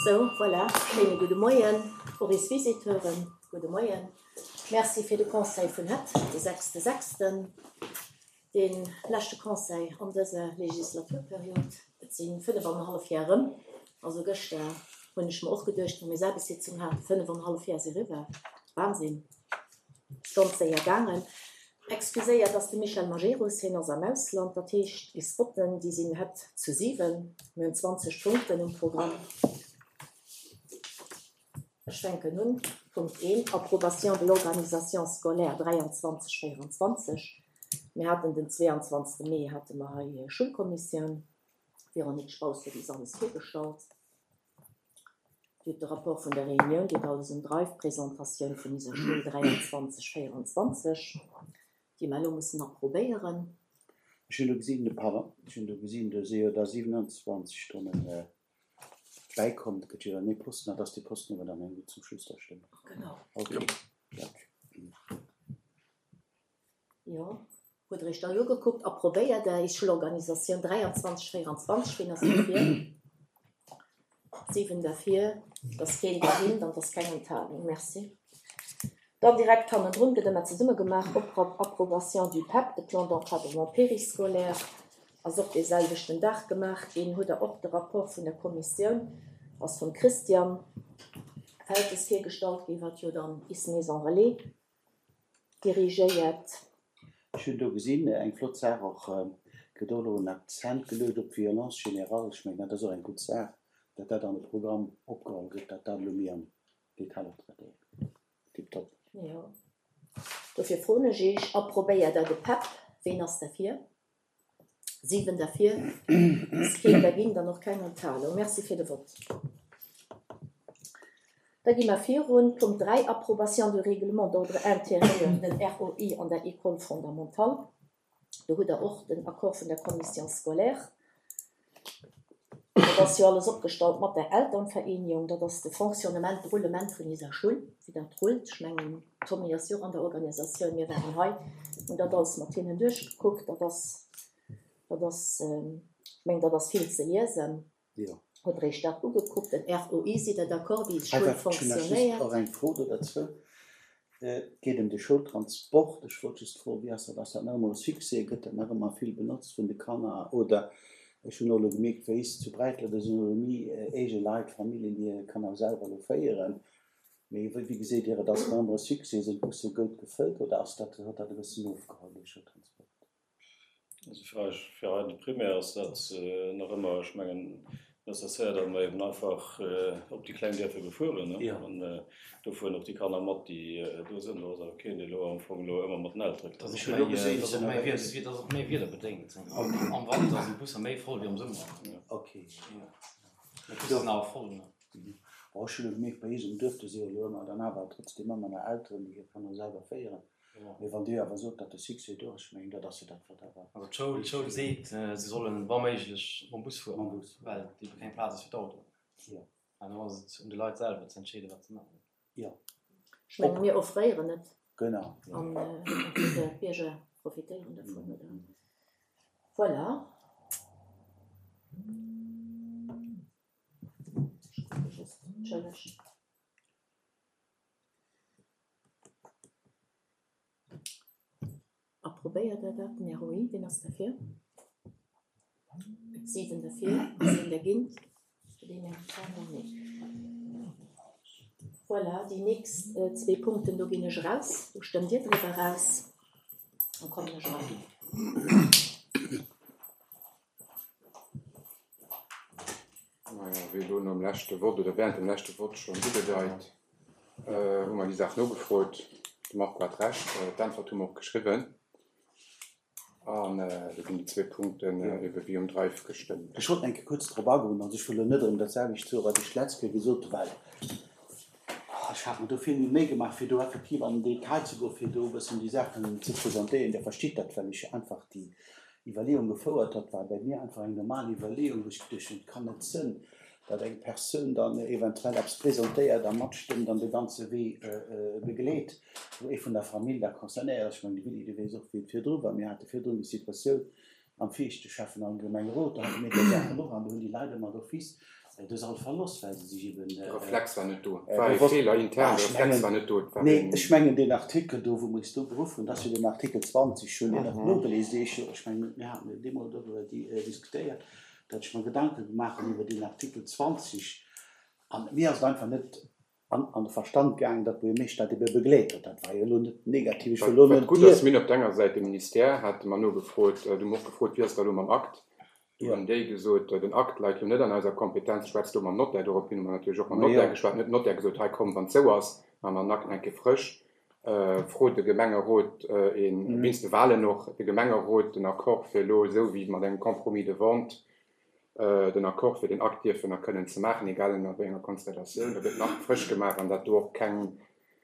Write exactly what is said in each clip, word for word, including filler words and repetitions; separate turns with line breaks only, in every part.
Sou, voilà, schéine gudde Moien och is Visiteuren. Gudde Moien. Merci fir de Conseil vun hett, de sechste sechsten, dee leschte Conseil an dëser Legislaturperiod. Et si fënnef an en hallef Jar erëm. Also gëschter hunn ech mer och geduecht, wou mir Aarbechtssitzung haten, fënnef an en hallef Jar si eriwwer. Wahnsinn. Ass ganz séier gaangen. Excuséiert ass de Michel Majerus, hien ass am Ausland. Dat heescht, is Votten, déi sinn hett zu siwen. Mir hunn zwanzeg Punkten um Programm. Ech fänken un. Punkt eent, Approbation de l'organisation scolaire dräianzwanzeg, véieranzwanzeg. Mir haten den zweeanzwanzegste Mee hate mer hei Schoulkommissioun. D'Véronique Spaus huet is alles virgestallt. Dir hutt de Rapport vun der Reunioun, Dir hutt alles um Drive, d'Presentatioun vun iser Schoul dräianzwanzeg, véieranzwanzeg, déi mer elo mussen approbéieren.
Ech hunn do gesinn, pardon, ech hunn do gesinn, do si jo da siewenundzwanzeg Stonnen bäikomm. Dat gëtt jo dann ee Posten, dat ass dee Posten, dee mer dann herno zum Schluss da stëmmen.
Genau.
Okay. Ja.
Jo. Hutt Der Iech dat ugekuckt? Approbéiert Der is Schoulorganisatioun dräianzwanzeg, véieranzwanzeg? Wien ass derfir? Siwen derfir, et ass keen dergéint an et ass keng Enthalung. Merci. Dann direkt hannendrun gëtt ëmmer zesumme gemaach, Approbation du P E P, de Plan d'encadrement périscolaire, ass och dee selwechten Dag gemaach ginn. Hutt Der och de Rapport vun der Kommissioun, ass vum Christian Feltes virgestallt ginn, wat jo dann is Maison Relais dirigéiert.
Ech hunn do gesinn, eng flott Saach och, gëtt och elo en Akzent geluecht op d'Violence générale. Ech mengen, dat ass och eng gutt Saach, datt dat an de Programm opgeholl gëtt, datt dat elo méi am Detail och traitéiert gëtt. Tiptop.
Jo. Dofir froen ech Iech, approbéiert Der de P E P? Ween ass derfir? Siwen derfir. Ass keen dergéint an och keng Enthalung. Merci fir de Vott. Da gi mer virun. Punkt dräi, Approbation du Règlement d'ordre intérieur, den R O I an der École fondamentale. Do hutt Der och den Accord vun der Commission scolaire. Dat ass jo alles opgestallt mat der Elternvereinigung. Dat ass de Fonctionnement, de Roulement vun iser Schoul, wéi dat rullt. Ech mengen, Tommy ass jo och an der Organisatioun. Mir waren hei, hunn dat alles mat hinnen duerchgekuckt. Dat ass, dat ass, ech mengen, dat ass vill ze liesen.
Jo.
Hutt Der Iech dat ugekuckt, den R O I, sidd Der d'accord, wéi
Hei
d'Schoul
war ech hunn nach just
fonctionnéiert?
och eng Fro do derzou. Et geet ëm de Schoultransport. Ech wollt just froen, wéi ass dat? Ass dat nach ëmmer e Succès? Gëtt dat nach ëmmer vill benotzt vun de Kanner? Oder ech hunn och elo gemierkt, wéi is zu Bräitler, do sinn elo méi eege Leit, Familljen, déi hir Kanner selwer elo féieren. Mee wéi geséit Dir et? Ass et nach ëmmer e Succès? Sinn d'Busse gutt gefëllt oder ass dat, huet dat e bëssen ofgeholl, de Schoultransport?
Also fir eis, fir eis de Primaire ass dat nach ëmmer, ech mengen, nécessaire, datt mer eben einfach op déi kleng Dierfer befueren, ne?
Jo.
An do fueren och déi Kanner mat, déi do sinn. Do ass awer keen, dee elo am Fong elo ëmmer mat den Eltere
Dat ass
Ech
och
hunn elo
méi,
gesinn,
dat ass
se
och méi
nach
Wieder, dat ass och méi wiederbedéngt. Am Wanter sinn d'Busser méi voll wéi am Summer.
Ja.
Okay.
Ja. Mee d'Busser sinn awer voll, ne?
Bon, ech hunn elo gemierkt, bei eis um Duerf, do si jo elo ëmmer dann awer trotzdem ëmmer nach Elteren, déi hir Kanner selwer féieren.
Ja.
Mee wann Dir awer sot, datt de Succès do ass, ech mengen, dat ass jo dat, wat awer
Also d'Schoul, d'Schoul seet, se sollen wa méiglech mam Bus fueren,
Mam Bus.
well ebe keng Plaz ass fir d'Autoen.
Ja.
An do ass et un de Leit selwer ze entscheeden, wat se maachen.
Ja.
Ech mengen, mir offréieren et.
Genau. Ja.
An entweder d'Bierger profitéieren dovun, oder? Voilà. Ech kucke just, Entschëllegt. Approbéiert Der dat, den R O I? Wien ass derfir? Siwen derfir, ass een dergéint? Huet een eng Enthalung? Nee. Voilà, déi nächst zwee Punkten, do ginn ech eraus. Do stëmmt Dir driwwer eraus. Dann kommen ech eran.
Naja, wéi elo nom leschte Vott oder während dem leschte Vott schonn ugedeit, hu mer déi Saach nogefrot. De Marco hat recht, d'Äntwert hu mer och geschriwwen. An do ginn déi zwee Punkten ebe wéi um Drive gestëmmt.
Ech wollt eng Kéier kuerz drop agoen, also ech wëll elo net erëm dat selwecht soen, wat ech d'letzt Kéier gesot hunn, well ech hat mer do vill méi Méi gemaach, fir do effektiv an den Detail ze goen, fir do e bëssen déi Saachen ze presentéieren. Dir verstitt dat, well ech einfach déi Iwwerleeung gefouert hat, war bei mir einfach eng normal Iwwerleeung, wou ech geduecht hunn, et kann net sënn, datt eng Persoun dann eventuell eppes presentéiert a matstëmmt an de ganze Wee begleet, wou ee vun der Famill da concernéiert ass. Ech mengen, de Willy, du weess och, wéi et virdru war. Mir hate virdrun déi Situatioun am viischte Schäffen am Gemengerot, do hate mir déi Saachen och an do hunn déi Leit ëmmer d'office de Sall verloss, well se sech eben.
De Reflex war net do. Et war ee Feeler intern, de Reflex war net do. Et war
Nee,
een.
ech mengen deen Artikel do, wou mer eis do beruff hunn, dat ass jo den Artikel zwanzeg, ech hunn deen och nogelies, dee ech jo, ech mengen, mir haten jo deemools doriwwer diskutéiert, datt ech mer Gedanke gemaach hunn iwwer deen Artikel zwanzeg an mir ass et einfach net an an de Verstand gaangen, datt d'Buergermeeschter dat ebe begleet huet. Dat war jo elo net negativ, ech wëll elo
Wat
net
gutt
dir.
ass, mir hunn op der enger Säit de Ministère, hate mer nogefrot, du hu mer och gefrot, wéi ass dat elo mam Akt? Du hunn déi gesot, den Akt läit elo net an eiser Kompetenz, schwätzt do mam Notaire. Dorophin hu mer natierlech och mam Notaire geschwat. Dann huet den Notaire gesot, hei komm, wann et sou ass, maache mer den Akt eng Kéier frësch, frot de Gemengerot een, wéinst de Wahlen och, de Gemengerot den Accord fir elo esou wéi mat engem Compromis de vente, den Accord fir den Akt dierfen a kënnen ze maachen, egal ënner wéi enger Konstellatioun. Da gëtt den Akt frësch gemaach an dat do och keng,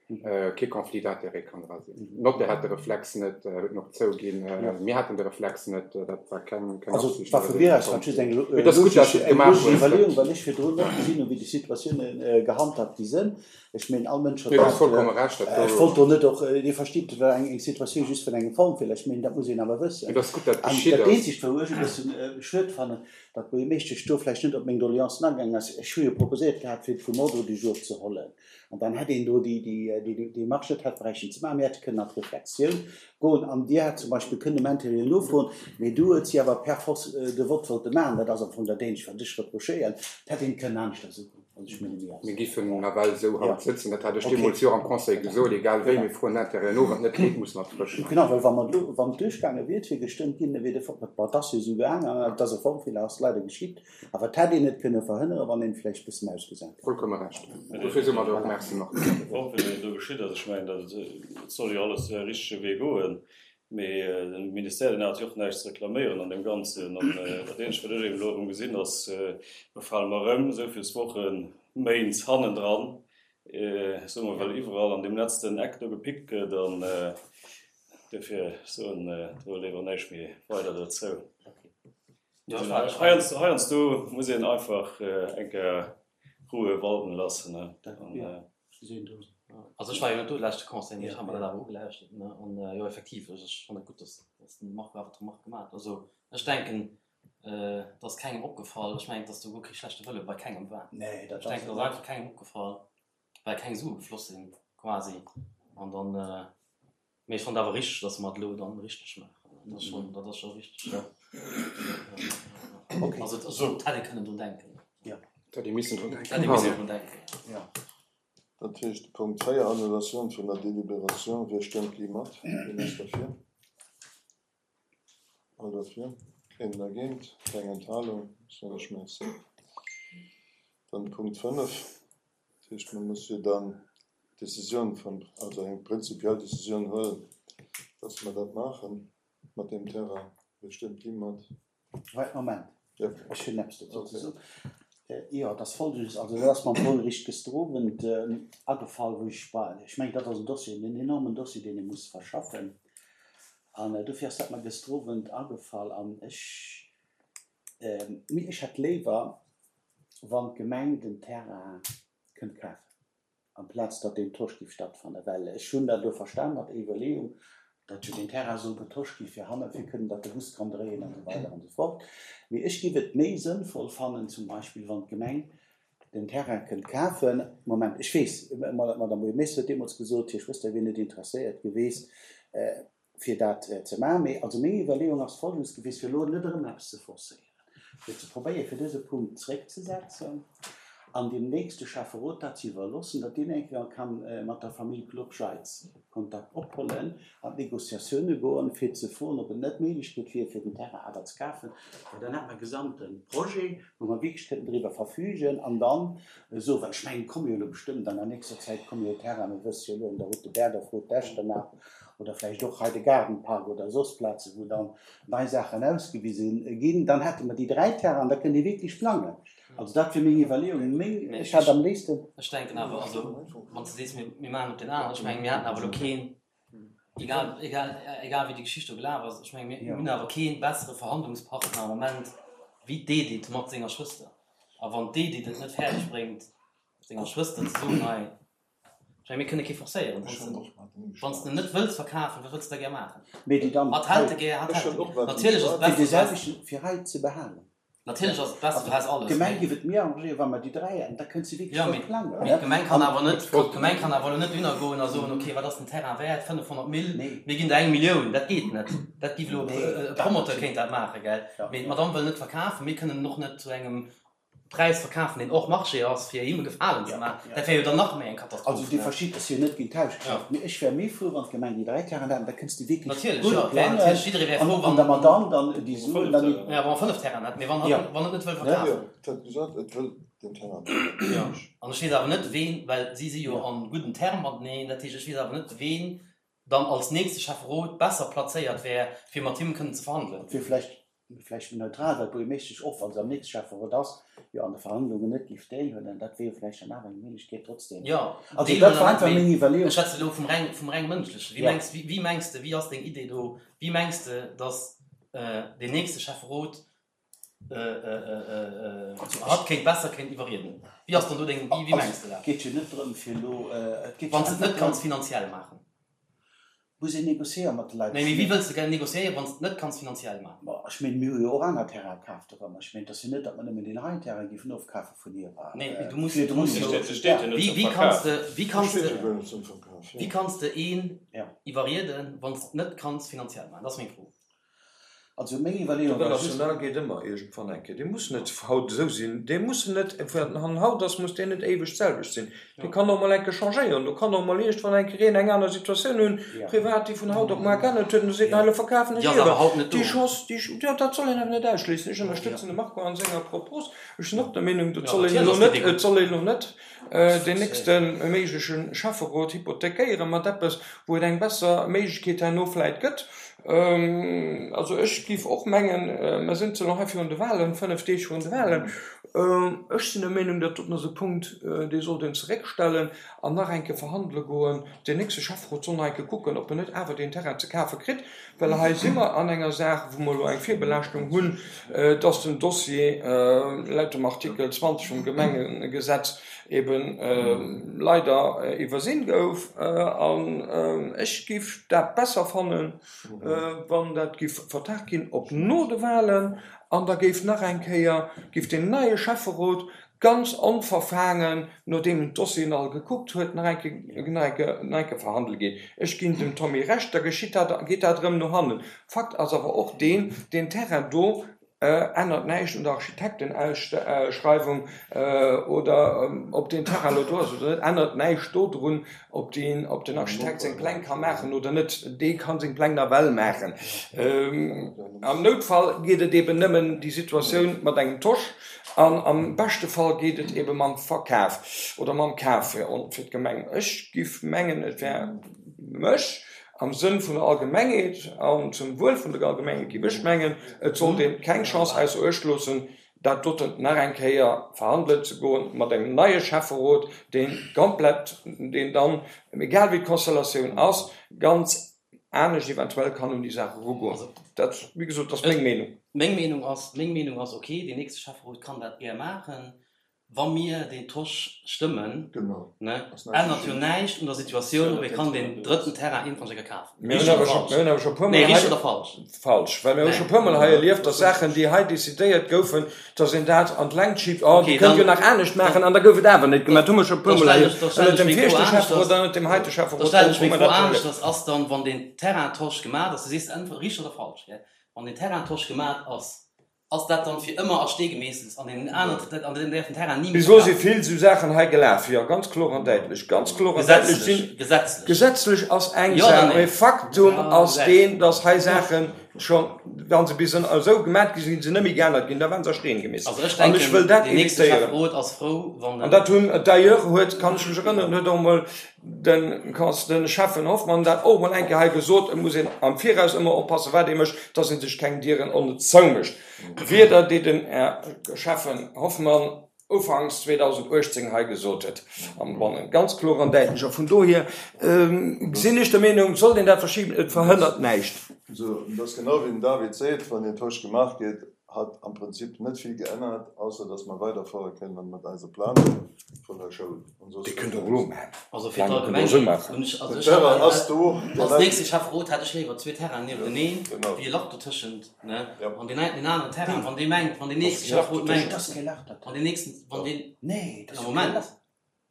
kee Conflit d'intérêt kann dra sinn. Den Notaire hat de Reflex net, huet en och zouginn, mir haten de Reflex net, dat war keng, keng
Also
Absicht
war
oder
vu
esou
mir aus war just eng
Mee et ass gutt, dass
logesch,
du et
eng
gemaach
logesch
hues.
Iwwerleeung, well ech virdrun net gesinn hunn, wéi déi Situatiounen gehandhabt gi sinn. Ech mengen, all Mënsch huet
Nee, du hues
dat,
vollkomme Recht, dat
ech
do.
wollt do net och, Dir verstitt, et war eng, eng Situatioun just vun engem Formfeeler, ech mengen, dat muss een awer wëssen.
Mee et ass gutt, dat
An
geschitt
dat
ass.
Eenzegt, wou ech e bëssen schued fannen, datt d'Buergermeeschtesch do vläicht net op meng Doleancen agaangen ass, ech hu jo proposéiert gehat, fir et vum Ordre du jour ze hollen. An dann hätt een do déi, déi, déi Démarche net hätt bräichten ze maachen. Mir hätte kënnen an d'Reflexioun goen an Dir hätt zum Beispill kënnen um Intérieur nofroen, mee du huet si awer per force de vote wollte maachen. Dat ass am Fong dat Eenzegt, wat ech reprochéieren. Dat hätt een kënnen aneschters ugoen. Also ech menge mir ass.
Mir giffen nawell esou haut sëtzen, dat hat ech
Okay.
deemools jo am Conseil gesot, egal wéi, mir froen Intérieur no, wann et net geet, musse mer et frësch maachen.
Genau, well wa mer elo, wann et duerchgaange wier, et wier gestëmmt ginn, da wier de Fo-, bon, et ass jo esou gaangen, an et ass e Formfeeler, ass leider geschitt, awer et hätt een et kënne verhënnere, wann een vläicht e bëssen ausgesat hätt.
Vollkomme Recht. Dofir soe mer der och Merci, Marc.
De Formfeeler, deen do geschitt ass, ech mengen, dat et soll jo alles de richtege Wee goen, mee de Ministère, deen hat jo och näischt ze reklaméieren an deem Ganzen. An dat Eenzegt, wat ech eben elo erëm gesinn, ass, mer fale mer erëm esou vill Wochen, Méint hannendran, soe mer, well iwwerall an deem letzten Eck do gepickt gëtt. An dofir soen do léiwer näischt méi weider dozou. Heiansdo, heiansdo muss een einfach eng Kéier Ruhe walten lassen. An,
Also ech war jo net do de leschte Conseil, mee ech hat mer dat awer ugelauschtert, ne, an jo effektiv, ech ech fannen et gutt, dass dass den Marco awer d'Remarque gemaach huet. Also ech denken, et ass kengem opgefall, ech mengen, dass do guer kee schlechte Wëlle bei kengem war.
Nee, dat
Ech denken,
ass
et ass einfach kengem opgefall, well keng Sue gefloss sinn quasi. An dann, mee ech fannen et awer richteg, dass mer et elo dann richteg maachen. Dat ass schonn, dat ass scho richteg, jo.
Okay.
Also et hätt ee kënnen drun denken.
Jo.
Et hätt ee missen drun
Et hätt ee missen drun
denken.
denken.
Jo.
Dat heescht, Punkt véier, Annulatioun vun der Deliberatioun. Wie stëmmt déi mat? Wien ass derfir? All derfir? Keen dergéint? Keng Enthalung? Soen ech Merci. Dann Punkt fënnef. Dat heescht, mir musse jo dann d'Decisioun vun, also eng prinzipiell Decisioun huelen, dass mer dat maache mat deem Terrain. Wie stëmmt déi mat?
Wait, Moment.
Ja.
Ech hunn eppes dozou ze soen. Jo, et ass Folgendes, also dat ass mer am Fong eréischt gëschter Owend agefall, wou ech war, ech mengen, dat ass en Dossier, en enormen Dossier, deen ee muss verschaffen. An dofir ass dat mer gëschter Owend agefall an ech, ech hätt léiwer, wann d'Gemeng den Terrain kënnt kafen, amplaz datt deen Tosch géif stattfannen, well ech hunn dat elo verstan mat der Iwwerleeung, datt jo deen Terrain soll getosch gi fir hanne fir kënnen, datt de Bus kann dréien an esou weider an esou fort. Mee ech géif et méi sënnvoll fannen, zum Beispill wann d'Gemeng den Terrain kënnt kafen. Moment, ech weess, d'Madame Buergermeeschter huet deemools gesot, hir Schwëster wier net interesséiert geweest, fir dat ze maachen. Mee also meng Iwwerleeung ass folgendes gewiescht, fir elo net erëm eppes ze forcéieren, fir ze probéieren, fir dëse Punkt zréckzesetzen an dem nächste Schäfferot dat ze iwwerloossen, datt deen eng Kéier ka mat der Famill Globscheitz Kontakt ophollen, an d'Negociatioune goen, fir ze froen, ob et net d'Méiglechkeet wier, fir den Terrain awer ze kafen, well dann hätte mer e gesamte Projet, wou mer wierklech kënnten driwwer verfügen an dann esou, well ech mengen, et komme jo elo bestëmmt an der nächster Zäit komme jo Terrainen, mir wësse jo elo an der Route de Berdorf, Route d'Echternach oder vläicht och hei de Gaardenpark oder soss Plazen, wou dann nei Saachen ausgewise ginn, dann hätte mer déi dräi Terrainen, da kënnt ee wierklech plangen. Also dat wier meng Iwwerleeung. Meng, ech hätt am léifsten.
Ech denken awer, also wann s de sees, mir, mir maachen op deen aneren, ech mengen, mir haten awer elo keen, egal, egal, egal wéi déi Geschicht do gelaf ass, ech mengen, mir hunn awer kee bessere Verhandlungspartner am Moment wéi d'Edith mat senger Schwëster. A wann d'Edith et net fäerdeg bréngt, senger Schwëster ze soen, hei, ech mengen, mir kënne kee forcéieren, wann s de en net wëlls verkafen, wat wëlls de da gär maachen?
Mee déi dann
Hatt hält e gär, hatt hält e gär. Natierlech ass et
fir
besser,
dee selwechten, fir hei ze behalen.
Natierlech ass et besser, du häss alles.
D'Gemeng géif et méi arrangéieren, wa mer déi dräi hätten, da kënnt se wierklech
Jo,
voll
mee
plangen.
mee d'Gemeng kann awer net, d'Gemeng kann awer elo net dohinner goen a soen, okay, wat ass den Terrain wäert, fënnefhonnert Mille,
Nee.
mir ginn der eng Millioun. Dat geet net. Dat géif elo
Nee,
e
dat
Promoteur
net.
kéint dat maachen, gell?
Ja.
Mee d'Madame wëll net verkafen, mir kënnen en och net zu engem Präis verkafen, deen hors marché ass, fir him e Gefalen ze maachen.
Ja.
Dat wär jo dann nach méi eng Katastroph.
Also Dir verstitt, dass jo net géint d'Hausgeschäft, mee ech wär méi frou, wann d'Gemeng déi dräi Terrainen hätt, da kënns de wierklech
Natierlech,
gutt
jo, wär
plangen
natierlech, jidderee wär
an,
frou,
an
wann,
der Madame dann déi Suen dann
Fënnef
ja, wa mer fënnef Terrainen hätten, mee wann
Ja.
hatt, wann et net wëll
Ja,
verkafen.
et huet gesot, et wëll den Terrain net.
Ja. An ech weess awer net, ween, well si si jo an gudden Terme mateneen, dat heescht, ech weess awer net, ween dann als nächste Schäfferot besser plazéiert wär, fir mat him kënnen ze verhandelen.
Fir vläicht, vläicht méi neutral, well d'Buergermeeschtesch och, wann se am nächste Schäfferot ass, jo an de Verhandlungen net géif deelhuelen, dat wier jo vläicht dann awer eng Méiglechkeet trotzdem.
Ja,
Also
deelhuelen
dat war
net,
einfach
mee
meng Iwwerleeung.
Ech schwätze elo vum reng, vum reng Mënschlechen. Wéi
Ja.
mengs, wéi, wéi mengs de, wéi ass deng Idee do, wéi mengs de, dass äh, deen nächste Schäfferot äh, äh, äh, hatt kéint besser kéint iwwerrieden? Wéi ass dann do deng, wéi, wéi
Also,
mengs de dat?
Et geet jo net drëm, fir elo, äh, et geet jo
Wann s de et
einfach
net kanns
drëm,
finanziell maachen.
Muss een négociéieren mat de Leit.
Nee, mee wéi wëlls de gär négociéieren, wann s de et net kanns finanziell maachen?
Bon, ech mengen, mir hu jo och aner Terrain kaaft erëm. Ech mengen, et ass jo net, datt mer nëmmen deen heien Terrain géifen ofkafe vun hir.
Nee, mee du muss,
Virdrun
du muss
jo.
jo,
Steet, steet jo net
wéi,
zum
wéi kanns
Verkaf.
de, wéi kanns
Steet
de,
jo guer net zum Verkaf,
wéi
ja.
kanns de een
Ja.
iwwerrieden, wann s de et net kanns finanziell maachen? Dat ass meng Fro.
Also meng
De
Iwwerleeung war just,
Relationnel geet ëmmer iergendwann eng Kéier. Dee muss net haut esou sinn. Dee muss net, wann haut ass, muss deen net éiweg d'selwecht sinn. Dee
Ja.
kann och mol eng Kéier changéieren. Do kann och mol iergendwann eng Kéier een eng aner Situatioun hunn,
Ja.
privat, déi vun haut op muer geännert huet, an da seet en,
Ja.
hei, elo verkafen ech
Déi ass awer
iewer.
haut net
Déi
do.
Chance, déi, jo, dat soll een awer net ausschléissen. Ech ënnerstëtzen de Marco an senger Propos. Ech sinn och der Meenung, dat
Ja,
soll een
natierlech
elo
ass déi
net,
Idee
et
gutt.
soll een elo net deen nächste méigleche Schäfferot hypothekéiere mat eppes, wou et eng besser Méiglechkeet herno vläit gëtt. Also ech géif och mengen, mer sinn zwar nach hei virun de Wahlen, fënnef Deeg virun de Wahlen, ech sinn der Meenung, dat doten ass e Punkt, dee sollt een zeréckstellen an nach eng Kéier verhandele goen. Deen nächste Schäfferot soll nach eng Kéier kucken, ob en net awer deen Terrain ze kafe kritt, well hei si mer an enger Saach, wou mer elo eng Virbelaaschtung hunn, dass den Dossier laut dem Artikel zwanzeg vum Gemengegesetz eben leider iwwersinn gouf. An ech géif dat besser fannen, wann dat géif vertagt ginn op no de Wahlen, an da géif nach eng Kéier, géif deen neie Schäfferot ganz onverfaangen, nodeem en d'Dossieren all gekuckt huet, nach eng Kéier, nach eng Kéier, nach eng Kéier verhandele ginn. Ech ginn dem Tommy Recht, da geschitt dat, geet dat erëm no hannen. Fakt ass awer och deen, deen Terrain do ännert näischt un der Architektenausschreiwung oder ob deen Terrain elo do ass oder net, ännert näischt dodrun, ob deen, ob den Architekt seng Pläng ka maachen oder net. Dee ka seng Pläng nawell maachen. Am Noutfall geet et eben nëmmen déi Situatioun mat engem Tosch an am beschte Fall geet et ebe mam Verkaf oder mam Kaf fir d'Gemeng. Ech giff mengen, et wär mech am Sënn vun der Allgemengheet an zum Wuel vun der Allgemengheet, giff ech mengen, et sollt een keng Chance ausser Uecht loossen, dat doten nach eng Kéier verhandelen ze goen mat engem neie Schäfferot, deen komplett, deen dann, egal wéi d'Konstellatioun ass, ganz anescht eventuell kann un déi Saach erugoen. Dat, wéi gesot, ass meng Meenung.
Meng Meenung ass, meng Meenung ass, okay, deen nächste Schäfferot kann dat gär maachen, wa mir deen Tosch stëmmen,
Genau.
ne,
Ass näischt
ännert jo
geschehen.
näischt un der Situatioun, ob ee kann deen drëtten Terrain iergendwann eng Kéier kafen.
Mir hunn
Richteg
awer
oder
scho,
falsch?
mir hunn awer scho e puer
Nee,
Mol
richteg
hei,
oder falsch?
falsch, well mir hu
Nee.
scho e puer Mol hei erlieft, dass Saachen, déi hei decidéiert goufen, dass een dat an d'Längt schiebt, oh,
Okay,
déi kënnt jo
dann,
nach anescht
dann,
maachen, an da gouf et awer net gemaach. Dat hu mer scho e puer
da
Mol
stellen
hei
ech, da stellen
ënnert
ech
dem
meng Fro
viregte
aneschters.
Schäfferot an ënnert dem heite
Da
Schäfferot
stellen
och,
ech
hu
meng
mer
Fro
dat scho erlieft.
aneschters. Ass dann, wann den Terrain-Tosch gemaach ass, du sees entweder richteg oder falsch, gell? Wann den Terrain-Tosch gemaach ass, ass dat dann fir ëmmer a Stee gemeesselt an den aneren, an den däerf den Terrain ni méi
Bis elo si
verkafen?
vill esou Saachen hei gelaf, jo, ganz kloer an däitlech, ganz kloer an däitlech
Gesetzlech,
sinn.
gesetzlech.
Gesetzlech ass eng
Jo oder
Saach,
nee?
mee Faktum
Ja,
ass
gesetzlech.
deen, dass hei Saache scho, wa se bis esou gemat gi sinn, se net méi geännert ginn, da waren se a Steen gemeesselt.
Also ech
An ech
denken,
wëll dat
deen nächste
evitéieren.
Schäfferot ass frou, wann
An
en.
dat hunn, d'ailleurs huet, kann ech mech erënneren, huet och emol den Cons, den Schäffen Hoffmann dat och emol eng Kéier hei gesot, et muss een am Viraus ëmmer oppassen, wat ee mécht, dass ee sech keng Dieren onnëtz zoumécht. Wierder, déi den Här Schäffen Hoffmann ufanks zweedausenduechtzéng hei gesot huet am Bannen, ganz kloer an däitlech. A vun dohier sinn ech der Meenung, sollt een dat verschiben, et verhënnert näischt.
Esou, et ass genau wéi den David seet, wann deen Tosch gemaach gétt, hat am Prinzip net vill geännert, ausser dass mer weiderfuere kënnen mat eiser Planung vun der Schoul. An soss
Déi kënnt Der och elo maachen.
Also fir
Planung kënnt Der och esou
d'Allgemengheet
maachen.
hunn ech, also
Den
ech
Terrain
hätt
ass do, dee
als
läit.
nächste Schäfferot hätt ech léiwer zwee Terrainen niewenteneen
Genau.
wéi e Lach dotëschent, ne?
Ja.
An deen deen aneren Terrain, wann dee mengt, wann deen
Ass
nächste
kee Lach
Schäfferot
dotëschent.
mengt,
Dat ass kee Lach
wann deen nächsten, wann deen,
Nee, dat
ja
ass jo kee
Moment.
Lach.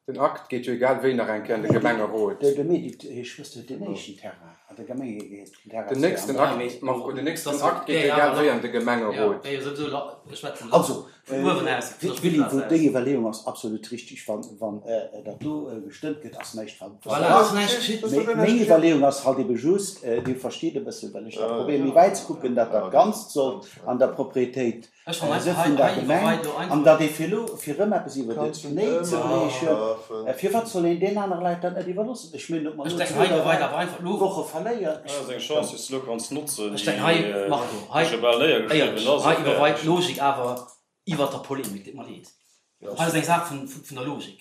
Den Akt geet jo egal wéi nach eng Kéier an de
Nee,
Gemengerot.
de, de Medit heescht wësst du, den éischten Terrain an der Gemeng heescht den Terrain
Den
zwee
nächsten
an
Ja,
Akt,
mee
Marco, den
dat
nächsten
ass
Akt geet
wär
jo
jo
egal
awer
wéi
Lach.
an de
Ja,
Gemengerot.
wär jo souwisou Lach, ech schwätzen Lach
Also,
vun
äh,
uewen aus, vun der
Willy,
Spillplaz
wou
aus.
deng Iwwerleeung ass absolut richtig, wann, wann äh, dat do äh, gestëmmt gëtt, ass näischt ver
Voilà,
Ja,
ass näischt geschitt.
das ist doch
Meng
näischt
Iwwerleeung ass halt ebe just, äh, Dir versteet e bëssen, well ech da
Ja,
probéiere
ja.
méi wäit ze kucken, dat
Ja,
dat Ganzt soll an der Proprietéit
Ech fann
äh,
einfach
se
hei,
vun der
hei
Gemeng
iwwerweit lo
an
einfach.
dat ee fir lo fir rëm eppes iwwer de
Kannst du
Knéi ze
ëmmer
briechen,
kafen.
äh, firwat soll een den anere Leit dann net iwwerloossen? Ech mengen, ob mer
Ech
lo
denken
zwee
hei
oder
iwwerweit
dräi
awer einfach lo.
Woche verléieren.
Dat ass eng Chance, déi s du lo kanns notzen,
Ech
déi
denken hei, Marco, hei,
scho bal néiergeschriwwen
éierlech,
ass a
hei iwwerweit
fäerdeg.
d'Logik awer iwwer der Polemik, deet mer leed.
Ja.
Hei ass eng Saach vun, vun der Logik.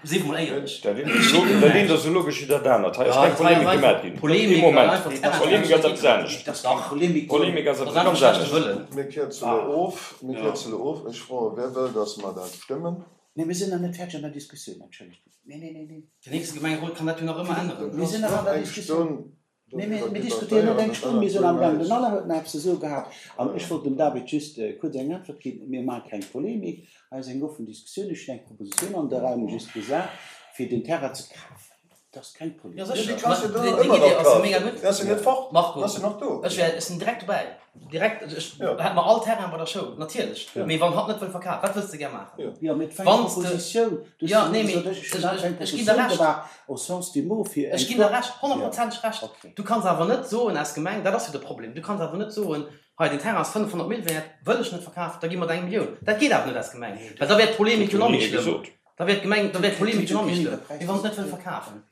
Si mer mol éierlech.
Dat eent ass lo- dat eent ass esou logesch wéi dat anert. Hei ass
Ja,
keng
dat war
Polemik
einfach
gemat ginn.
Polemik,
Ee Moment.
einfach Terrain
Polemik ass eppes anescht.
Dat ass keng Polemik.
Polemik ass
Dat
eppes
ass einfach
ganz
schlechte
anescht.
Wëllen.
Mir kierze lo of, mir
Ja.
kierze lo of. Ech froe, wer wëll, dass mer dat stëmmen?
Nee, mir sinn nach net fäerdeg an der Diskussioun, entschëllegt. Nee, nee, nee, nee.
Den nächste Gemengerot kann dat jo nach ëmmer änneren.
Mir sinn nach an der
Eng
Diskussioun.
Stonn
Nee, mir, mir diskutéieren net eng Stonn, mir sinn am Gang. Den Alain huet nach eppes ze soe gehat. An ech wollt dem David just äh, kuerz eng Äntwert ginn. Mir maache keng Polemik. Hei ass eng offen Diskussioun. Ech hunn eng Propositioun an de Raum just gesat, fir den Terrain ze kafen. Dat ass keng
Ja,
Polemik.
Ja,
sécher.
déi kanns du do
Déi
ëmmer
Idee
nach
ass mega
kafen.
gutt.
Déi ass jo net fort.
Marco,
Déi ass jo nach do.
Ech wär, ech sinn direkt dobäi. Direkt, also ech
Ja.
hätt mer all Terrain bei der Schoul, natierlech.
Ja.
Mee wann hatt net wëll verkafen, wat wëlls de gär maachen?
Ja.
Ja, mit eng
Wanns de-
Propositioun. Du
Ja,
hast
nee, mee
gesot, ech hunn
ech-
einfach eng
ech ginn der
Propositioun
Recht.
gemaach, au sens du mot, fir
Ech
eng
ginn der Recht, honnertprozenteg Recht.
Okay.
Du kanns awer net soen als Gemeng, dat ass jo de Problem, du kanns awer net soen, hei den Terrain ass fënnefhonnert Mille wäert, wëll ech net verkafen, da gi mer der eng Millioun. Dat geet awer net als Gemeng. Well da wär d'Polemik jo nach méi
Nie
schlëmm.
gesot.
Da wär d'Gemeng, da wär d'Polemik jo nach méi schlëmm.
Preis
Mee wann se net wëll verkafen.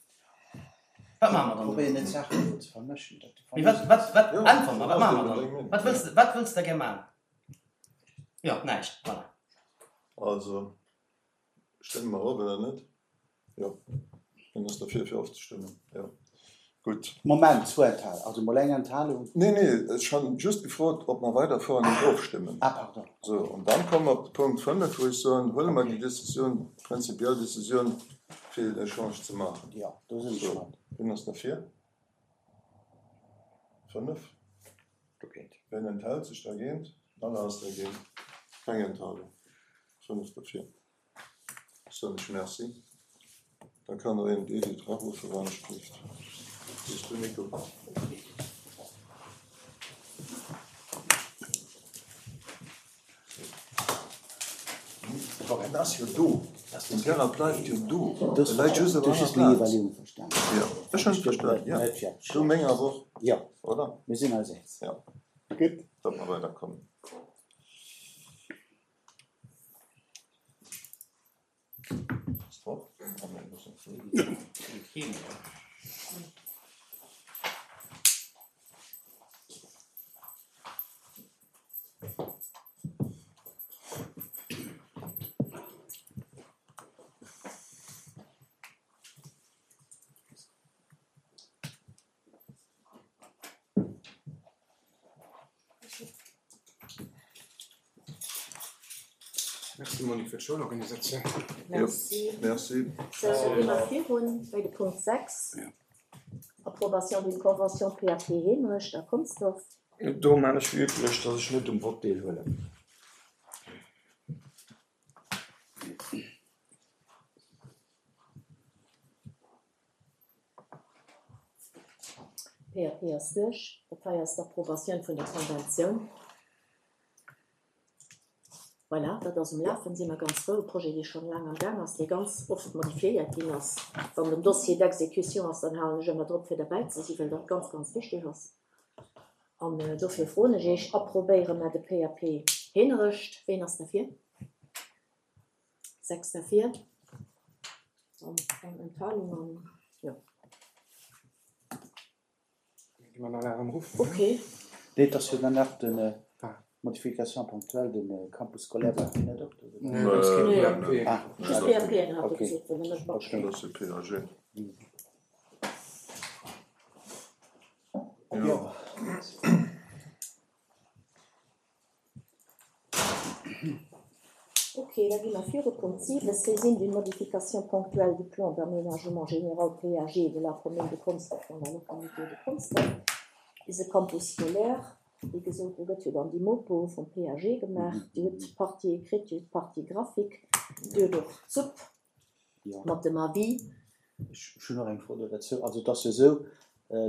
Wat maache mer dann do?
Probéieren net Saachen ze vermëschen. Dat
Mee wat, wat, wat,
Ja,
äntwert mer, wat maache mer dann? Wat wëlls de, wat wëlls de gär maachen? Ja, näischt, voilà.
Also, stëmme mer of oder net? Ja. Wien ass derfir, fir ofzestëmmen? Ja. Gutt.
Moment, zwou Enthal also mol eng Enthalung.
Nee, nee, ech hunn just gefrot, ob mer weiderfueren und ofstëmmen.
Ah, pardon.
So, und dann komme mer op de Punkt fënnef, wou ech soen, huele mer déi Decisioun, prinzipiell Decisioun, fir den Echange ze maachen.
Ja, do sinn ech
So.
mat.
Wien ass derfir? Fënnef.
Dogéint.
Wien enthält sech dergéint? Alle ass dergéint. Keng Enthalung. Fënnef derfir. Soen ech Merci. Da kann der een d'Edith eraruffen, wann ech spricht. Bist du, Nico? En ass jo do. Den Terrain bleift jo do.
Das
E läit just op
du hast
aner
meng
Plaz.
Iwwerleeung verstanen.
Ja, ech hunn verstanen, ja.
Net fertig.
Du meng awer och,
Ja,
oder?
mir sinn eis eens.
Ja.
Gutt.
Datt mer weiderkommen. Ass drop? Ah, nee, das ist nicht.
Merci Monique fir d'Schoulorganisatioun.
Merci.
Merci.
So, gi mer virun bei de Punkt sechs. Approbation d'une convention P A P Heemerecht a Consdorf.
Do maan ech wéi üblech, dass ech net um Vott deelhuelen.
P A P ass duerch. Dat hei ass d'Approbatioun vun der Konventioun. Voilà, dat ass um Lafen, si mer ganz frou. E Projet, dee schonn laang am Gaang ass, dee ganz oft modifiéiert ginn ass. Wann den Dossier d'exécution ass, dann halen ech ëmmer drop, fir derbäi ze sinn, well dat ganz, ganz wichteg ass. An äh, dofir froen ech iech, approbéiere mer de P A P Heemerecht. Wien ass derfir? Sechs derfir. An eng Enthalung an ja.
Gi mer nach erëm ruffen.
Okay.
Nee, das jo dann nach den äh,
Ah.
Modification ponctuelle den äh, Campus scolaire war net op.
Nee, dat ass keen
Nee.
P A P.
Ah,
Just P A P hat
Okay.
gesot, well net
Okay.
Dat ass de P A G.
Ja.
Ja.
Ok, da gi mer viru. Punkt siwe, Saisine d'une modification ponctuelle du plan d'aménagement général PAG de la commune de Consdorf dans la localité de Consdorf. Ise Campus scolaire, wéi gesot, do gëtt jo dann déi Mopo vum PAG gemaach. Dir hutt d'Partie écrite, Dir hutt d'Partie graphique, Dir hutt och d'Supp mat dem Avis.
Ech hunn och eng Fro do derzou. Also et ass jo esou,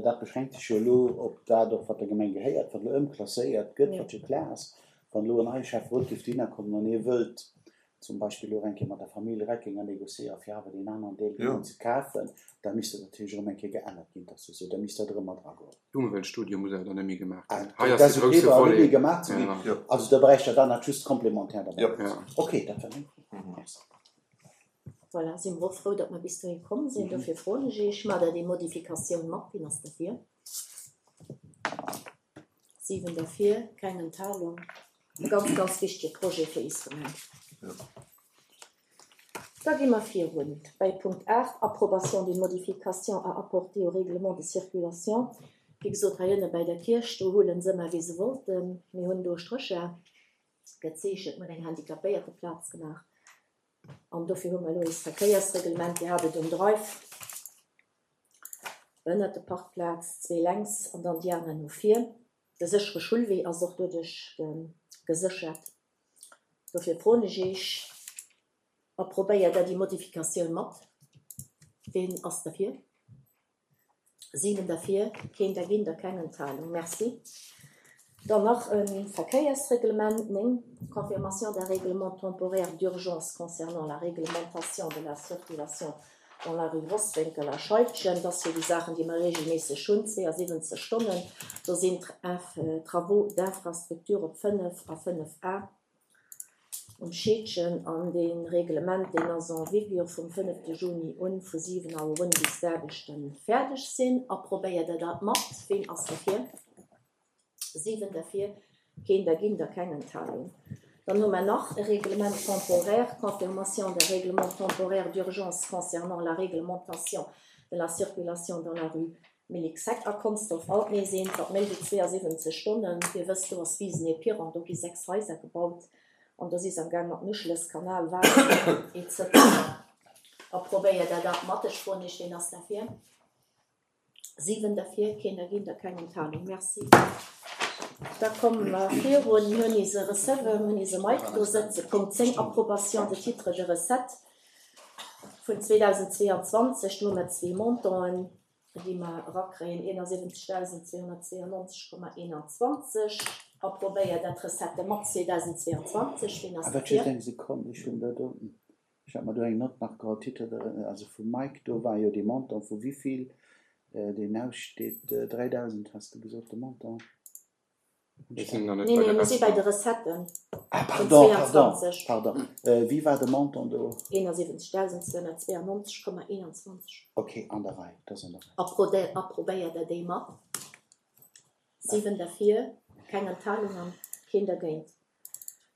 dat beschränkt sech jo elo op dat och, wat der Gemeng gehéiert, wat elo ëmklasséiert gëtt, wat jo klar ass. Wann elo en neie Schäfferot géif dohinner kommen an hie wëllt zum Beispill elo eng Kéier mat der Famill Reckinger négociéieren, fir awer deen aneren Deel kënnen ze kafen, da misst dat natierlech erëm eng Kéier geännert ginn. Dat ass jo esou, da misst dat erëm mat eragoen.
D'Umweltstudie muss awer dann net méi gemaach ginn.
Hei ass de grousse Volet. Gemaach ze ginn. Also da bräicht Der dann nach just complémentaire derbäi. Ok, dat war meng Fro. Merci.
Voilà, si mer och frou, datt mer bis dohi komm sinn. Dofir froen ech Iech, Maacht Der déi Modifikatioun mat? Wien ass derfir? Siwen derfir, keng Enthalung. E ganz, ganz wichtege Projet fir is Gemeng. Da gi mer virun bäi Punkt aacht, Approbation d'une modification à apporter au règlement de circulation. Wéi gesot, hei ënne bäi der Kierch, do huelen se ëmmer, wéi se wollten. Mir hunn do Strécher gezeechent, mir hunn eng Handicapéierteplaz gemaach an dofir hu mer elo eist Verkéiersreglement. Dir hat et um Drive, ënnert de Parkplaz, zwee lenks an dann déi aner no vir. De séchere Schullwee ass och doduerch geséchert. Dofir froen ech Iech, Approbéiert Der déi Modifikatioun mat? Ween ass derfir? Siwen derfir, keen dergéint a keng Enthalung. Merci. Dann nach e Verkéiersreglement, néng, Confirmation d'un règlement temporaire d'urgence concernant la réglementation de la circulation dans la rue Rosswénkel a Scheidgen. Dat ass jo déi Saachen, déi mer regelméisseg hunn, zweeësiwwenzeg Stonnen. Do sinn Travaux d'infrastructure op fënnef a fënnef A um Scheedgen. An dee Reglement, deen ass en vigueur vum fënnefte Juni un, vu siwen Auer un, bis d'Aarbechte fäerdeg sinn. Approbéiert Der dat mat? Ween ass derfir? Siwen derfir, keen dergéint a keng Enthalung. Dann hu mer nach e Règlement temporaire, Confirmation d'un règlement temporaire d'urgence concernant la réglementation de la circulation dans la rue Mélixec a Consdorf. Alt nees eent, wat méi wéi zweeësiwwenzeg Stonnen, Dir wësst, do ass Wisen-et-Piron, do gi sechs Haiser gebaut an do si se am Gaang mat Nuschles, Kanal, Waasser, et cetera. Approbéiert Der dat mat? Ech froen Iech, ween ass derfir? Siwen derfir, keen dergéint a keng Enthalung. Merci. Da komme mer virun. Mir hunn ise Receveur, mir hunn ise Mike do sëtzen. Punkt zéng, Approbation de titres de recettes vun zweedausendzweeanzwanzeg. Do hu mer zwee Montanten, déi mer erakréien, eenasiwwenzegdausend zweehonnertzweeannonzeg Komma eenanzwanzeg. Approbéiert Der d'Recettë mat zweedausendzweeanzwanzeg? Wien ass
Awer
derfir?
just eng Sekonn, ech hunn do, ech hat mer do eng Nott nach geholl, Titre de, also vum Mike, do war jo dee Montant vu wivill deen aussteet, dräidausend has de gesot, de Montant?
Mir sinn nach net
Nee,
bei
nee,
de
mir si bei de
Recetten.
Recetten
Ah,
vun
pardon, pardon,
zweeanzwanzeg.
pardon. Wéi war de Montant do?
Eenasiwwenzegdausend zweehonnertzweeannonzeg Komma eenanzwanzeg.
Ok, an der Rei, dat ass an der Rei.
Approbéiert Der déi mat? Siwen derfir, keng Enthalung an keen dergéint.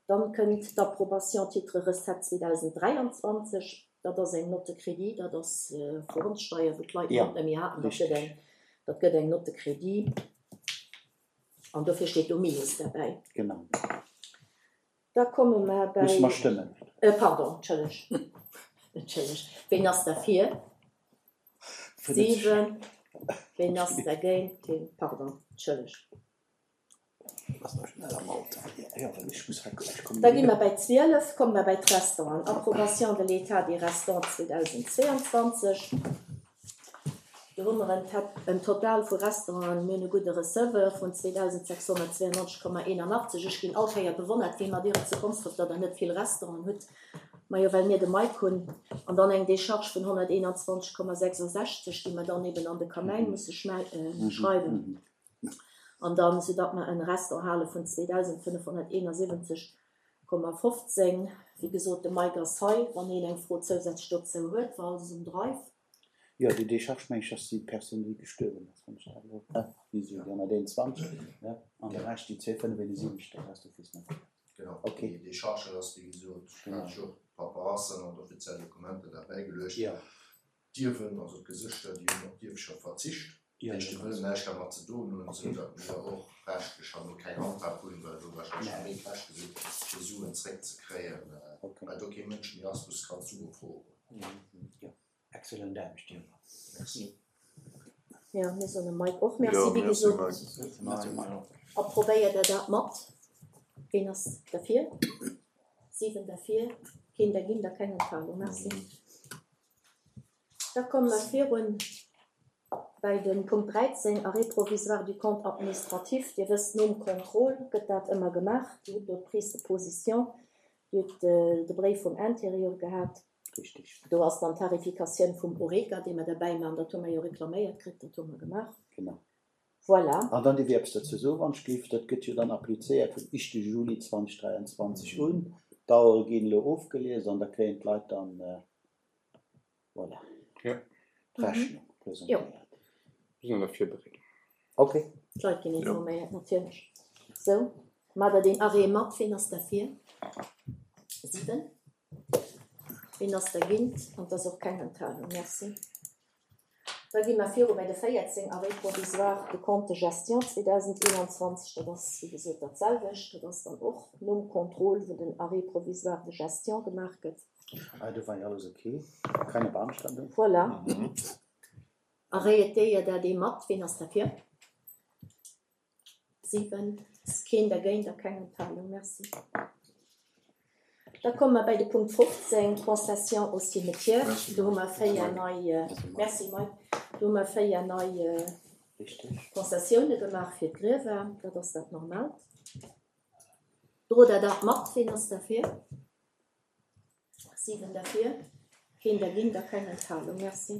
Dann kënnt d'Approbation titre recette zweedausenddräianzwanzeg. Dat ass eng Note de crédit, dat ass vu Grondsteier, wou d'Leit
Ja,
net méi haten. Dat gëtt
richtig.
eng, dat gëtt eng Note de crédit an dofir steet do Minus derbäi.
Genau.
Da komme mer
Musse mer
bäi.
stëmmen.
Pardon, entschëlleg, entschëlleg. Ween ass derfir?
Fënnef.
Siwen. Ween ass dergéint? Keen. Pardon, entschëlleg. Da gi mer bäi zwielef, komme mer bäi d'Restauranten. Approbation de l'état des restants zweedausendzweeanzwanzeg. Do hu mer en Total vu Restauranten, mir hunn e gudde Receveur vun zweedausendsechshonnertzweeannonzeg Komma eenanachtzeg. Ech ginn all Kéier bewonnert, wéi mer dir et zu Konsdref, datt der net vill Restauranten hutt. Majo, well mir de Mike hunn. An dann eng Decharge vun honnerteenanzwanzeg Komma sechsasechzeg, déi mer dann eben an de Kamäin musse schreiwen. An dann, soudatt mer en Restaurant hale vun zweedausendfënnefhonnerteenasiwwenzeg Komma fofzéng. Wéi gesot, de Mike ass hei, wann een eng Fro zousätzlech dozou huet, war alles um Drive.
Jo, déi Decharge, meng ech, ass déi Persoun, déi gestuerwen ass, wann ech dat elo, ne, déi si déi honnerteenundzwanzeg, ne, an de Rescht, déi zwee fënnef eenundsiwwenzeg, dat ass d'office net.
Genau,
Ok.
déi Decharge ass, wéi gesot,
Genau.
hat ech och d'Paperassen an d'offiziell Dokumenter derbäigeluecht.
Jo.
D'Ierwen, also d'Gesëschter, déi hunn op d'Ierfschaft verzicht. Dat heescht, déi wëllen näischt dermat ze doen hunn, esou datt mir och rechtlech herno keng Handhab hunn, well do warscheinlech nach méi Käschte sinn, fir Suen zréckzekréien, well do kee Mënsch méi ass, wou s kanns Sue froen.
Jo, excellent Aarbecht, jo.
Merci.
Jo, mir soen dem Mike och Merci, wéi gesot. A probéiert Der dat mat? Ween ass derfir? Siwen derfir, keen dergéint a keng Enthalung. Merci. Da komme mer virun bäi de Punkt dräizéng, Arrêt provisoire du compte administratif. Dir wësst, nom Contrôle gëtt dat ëmmer gemaach. Dir hutt do d'Prise de position, Dir hutt de Bréif vum Intérieur gehat. Do ass dann d'Tarifikatioun vum Oreca, déi mer derbäi maachen. Dat hu mer jo reklaméiert kritt, dat hu mer gemaach.
Genau.
Voilà.
An dann dierf ech eppes dozou soen, wann ech géif. Dat gëtt jo dann applizéiert vum éischte Juli zweitausenddräiandzwanzeg un. D'Auere ginn elo ofgelies an da kréien d'Leit dann, voilà, d'Rechnung presentéiert.
Mir sinn an der Virbereedung.
Ok.
D'Leit ginn informéiert, natierlech. Sou, maacht Der deen Arrêt mat? Ween ass derfir? Siwen. Ween ass dergéint? An et ass och keng Enthalung. Merci. Da gi mer viru bei de véierzéng, Arrêt provisoire de compte de gestion zweedausendeenanzwanzeg. Dat ass, wéi gesot, dat selwecht. Dat ass dann och nom Contrôle, wou den Arrêt provisoire de gestion gemaach gëtt.
Ah, do war jo alles ok. Keine Beanstandung.
Voilà. Arrêtéiert Der dee mat? Ween ass derfir? Siwen. Keen dergéint a keng Enthalung. Merci. Da komme mer bäi de Punkt fofzéng, Concession au cimetière. Do hu mer véier nei, merci Mike, do hu mer véier nei Concessioune gemaach fir d'Griewer. Dat ass dat Normaalt. Drot Der dat mat? Ween ass derfir? Siwen derfir, keen dergéint a keng Enthalung. Merci.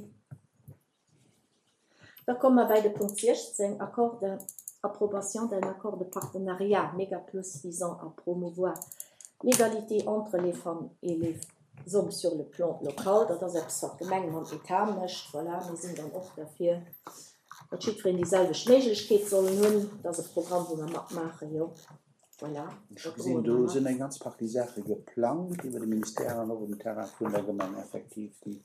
Da komme mer bäi de Punkt siechzéng, Accord de approbation d'un accord de partenariat Mégaplus visant à promouvoir l'égalité entre les femmes et les hommes sur le plan local. Dat ass eppes, wat d'Gemeng mam Etat mécht. Voilà, mir sinn dann och derfir, datt jiddwereen déi selwecht Méiglechkeet sollen hunn. Dat ass e Programm, wou mer matmaachen, jo. Voilà,
Ech
dat
gesinn,
droe
do
mer mat.
sinn eng ganz Partie Saache geplangt iwwer de Ministère an och um Terrain vun der Gemeng effektiv, déi,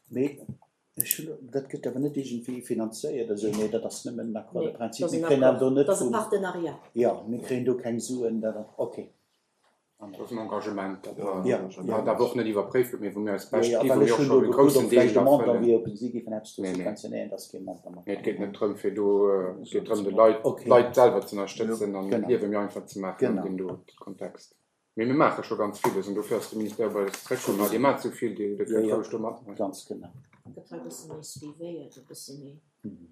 mee ech hunn, dat gëtt awer net iergendwéi finanzéiert esou, nee, dat ass nëmmen en Accord de
Nee, dat
principe.
ass
Mir
en
kréien awer
Accord,
do net
dat ass e
vum,
Partenariat.
jo, mir kréien do keng Suen, dat ass, okay.
Dat ass en Engagement, dat mer,
Ja,
wat awer och net iwwerpréift gëtt, mee wou mir eis
ja,
bescht
ja,
gi,
well
wou mir
ech
och
hunn
schonn
do
e
gekuckt,
groussen
ob
Deel
vläicht e Montant
erfëllen.
wier, ob si géifen eppes do
Nee, nee.
subventionéieren, dat ass kee Montant mat
Nee, et
dran.
geet net drëm, fir do, et geet drëm, de Leit,
Okay.
d'Leit selwer ze ënnerstëtzen an
Genau.
d'Liewe méi einfach ze maachen an
Genau.
deem do Kontext. Mee mir maache scho ganz villes an dofir ass de Ministère bei eis zeréckkomm. Ma Dir maacht esou vill, Dir
Ja,
kënnt
ja,
roueg do matmaachen.
ganz genau.
Gëtt hei e bësse méi suivéiert, e bësse méi.